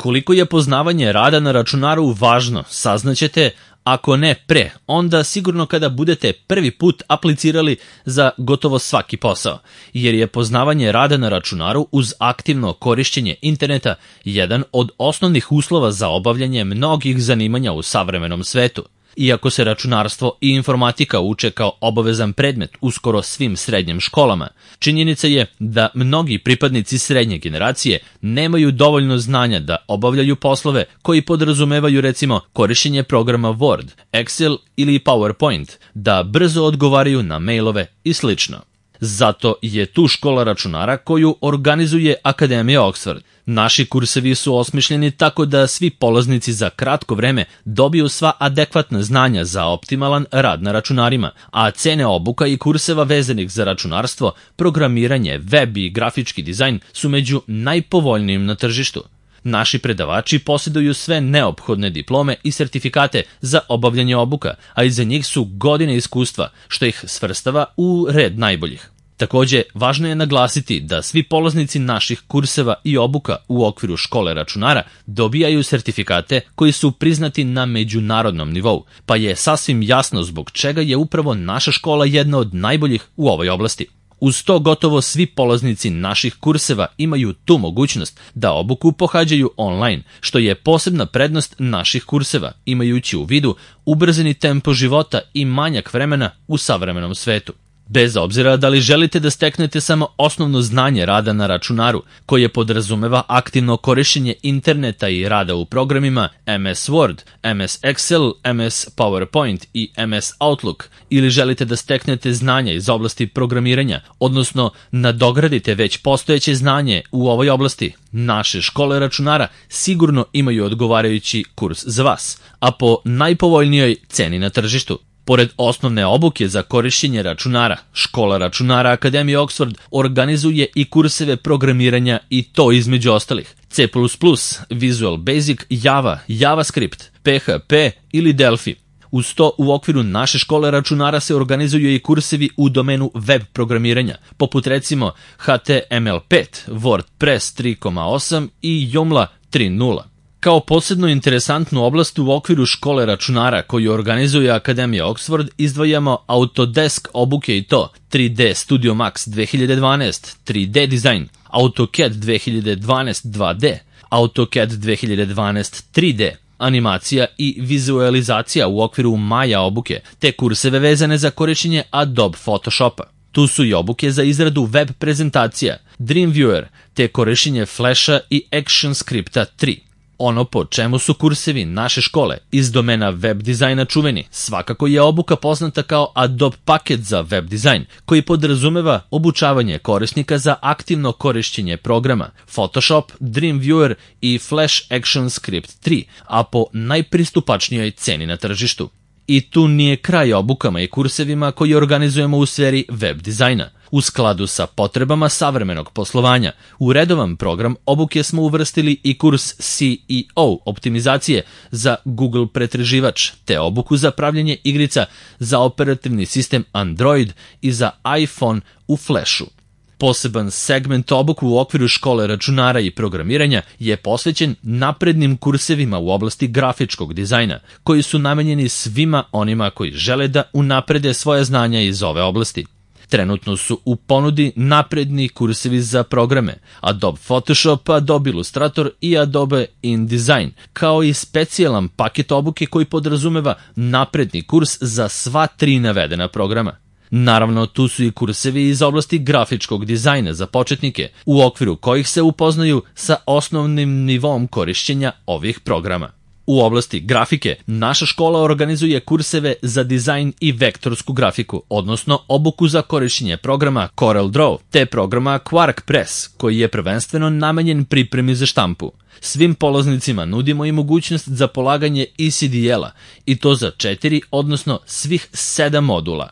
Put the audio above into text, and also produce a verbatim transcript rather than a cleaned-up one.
Koliko je poznavanje rada na računaru važno, saznaćete, ako ne pre, onda sigurno kada budete prvi put aplicirali za gotovo svaki posao, jer je poznavanje rada na računaru uz aktivno korišćenje interneta jedan od osnovnih uslova za obavljanje mnogih zanimanja u savremenom svetu. Iako se računarstvo i informatika uče kao obavezan predmet u skoro svim srednjim školama, činjenica je da mnogi pripadnici srednje generacije nemaju dovoljno znanja da obavljaju poslove koji podrazumevaju recimo korišćenje programa Word, Excel ili PowerPoint, da brzo odgovaraju na mailove i slično. Zato je tu škola računara koju organizuje Akademija Oxford. Naši kursevi su osmišljeni tako da svi polaznici za kratko vreme dobiju sva adekvatna znanja za optimalan rad na računarima, a cene obuka i kurseva vezanih za računarstvo, programiranje, web i grafički dizajn su među najpovoljnijim na tržištu. Naši predavači posjeduju sve neophodne diplome i sertifikate za obavljanje obuka, a iza njih su godine iskustva, što ih svrstava u red najboljih. Takođe, važno je naglasiti da svi polaznici naših kurseva i obuka u okviru škole računara dobijaju sertifikate koji su priznati na međunarodnom nivou, pa je sasvim jasno zbog čega je upravo naša škola jedna od najboljih u ovoj oblasti. Uz to gotovo svi polaznici naših kurseva imaju tu mogućnost da obuku pohađaju online, što je posebna prednost naših kurseva, imajući u vidu ubrzani tempo života i manjak vremena u savremenom svetu. Bez obzira da li želite da steknete samo osnovno znanje rada na računaru, koje podrazumeva aktivno korišćenje interneta i rada u programima em es Word, em es Excel, em es PowerPoint i em es Outlook, ili želite da steknete znanja iz oblasti programiranja, odnosno nadogradite već postojeće znanje u ovoj oblasti, naše škole računara sigurno imaju odgovarajući kurs za vas, a po najpovoljnijoj ceni na tržištu. Pored osnovne obuke za korišćenje računara, škola računara Akademije Oxford organizuje i kurseve programiranja i to između ostalih C plus plus, Visual Basic, Java, JavaScript, P H P ili Delphi. Uz to u okviru naše škole računara se organizuju i kursevi u domenu web programiranja, poput recimo H T M L pet, WordPress tri točka osam i Joomla tri točka nula. Kao posebno interesantnu oblast u okviru škole računara koju organizuje Akademija Oxford izdvajamo Autodesk obuke i to tri D Studio Max dve hiljade dvanaest, tri D dizajn, AutoCAD dve hiljade dvanaest dva D, AutoCAD dve hiljade dvanaest tri D, animacija i vizualizacija u okviru Maya obuke, te kurseve vezane za korišćenje Adobe Photoshopa. Tu su i obuke za izradu web prezentacija, Dreamviewer, te korišćenje Flasha i ActionScripta tri. Ono po čemu su kursevi naše škole iz domena web dizajna čuveni, svakako je obuka poznata kao Adobe paket za web dizajn, koji podrazumeva obučavanje korisnika za aktivno korišćenje programa Photoshop, Dreamviewer i Flash ActionScript tri, a po najpristupačnijoj ceni na tržištu. I tu nije kraj obukama i kursevima koji organizujemo u sferi web dizajna. U skladu sa potrebama savremenog poslovanja, u redovan program obuke smo uvrstili i kurs C E O optimizacije za Google pretraživač, te obuku za pravljenje igrica za operativni sistem Android i za iPhone u Flashu. Poseban segment obuku u okviru škole računara i programiranja je posvećen naprednim kursevima u oblasti grafičkog dizajna, koji su namenjeni svima onima koji žele da unaprede svoje znanja iz ove oblasti. Trenutno su u ponudi napredni kursevi za programe Adobe Photoshop, Adobe Illustrator i Adobe InDesign, kao i specijalan paket obuke koji podrazumeva napredni kurs za sva tri navedena programa. Naravno, tu su i kursevi iz oblasti grafičkog dizajna za početnike, u okviru kojih se upoznaju sa osnovnim nivom korišćenja ovih programa. U oblasti grafike, naša škola organizuje kurseve za dizajn i vektorsku grafiku, odnosno obuku za korišćenje programa CorelDRAW, te programa QuarkPress, koji je prvenstveno namenjen pripremi za štampu. Svim polaznicima nudimo i mogućnost za polaganje E C D L-a, i to za četiri, odnosno svih sedam modula.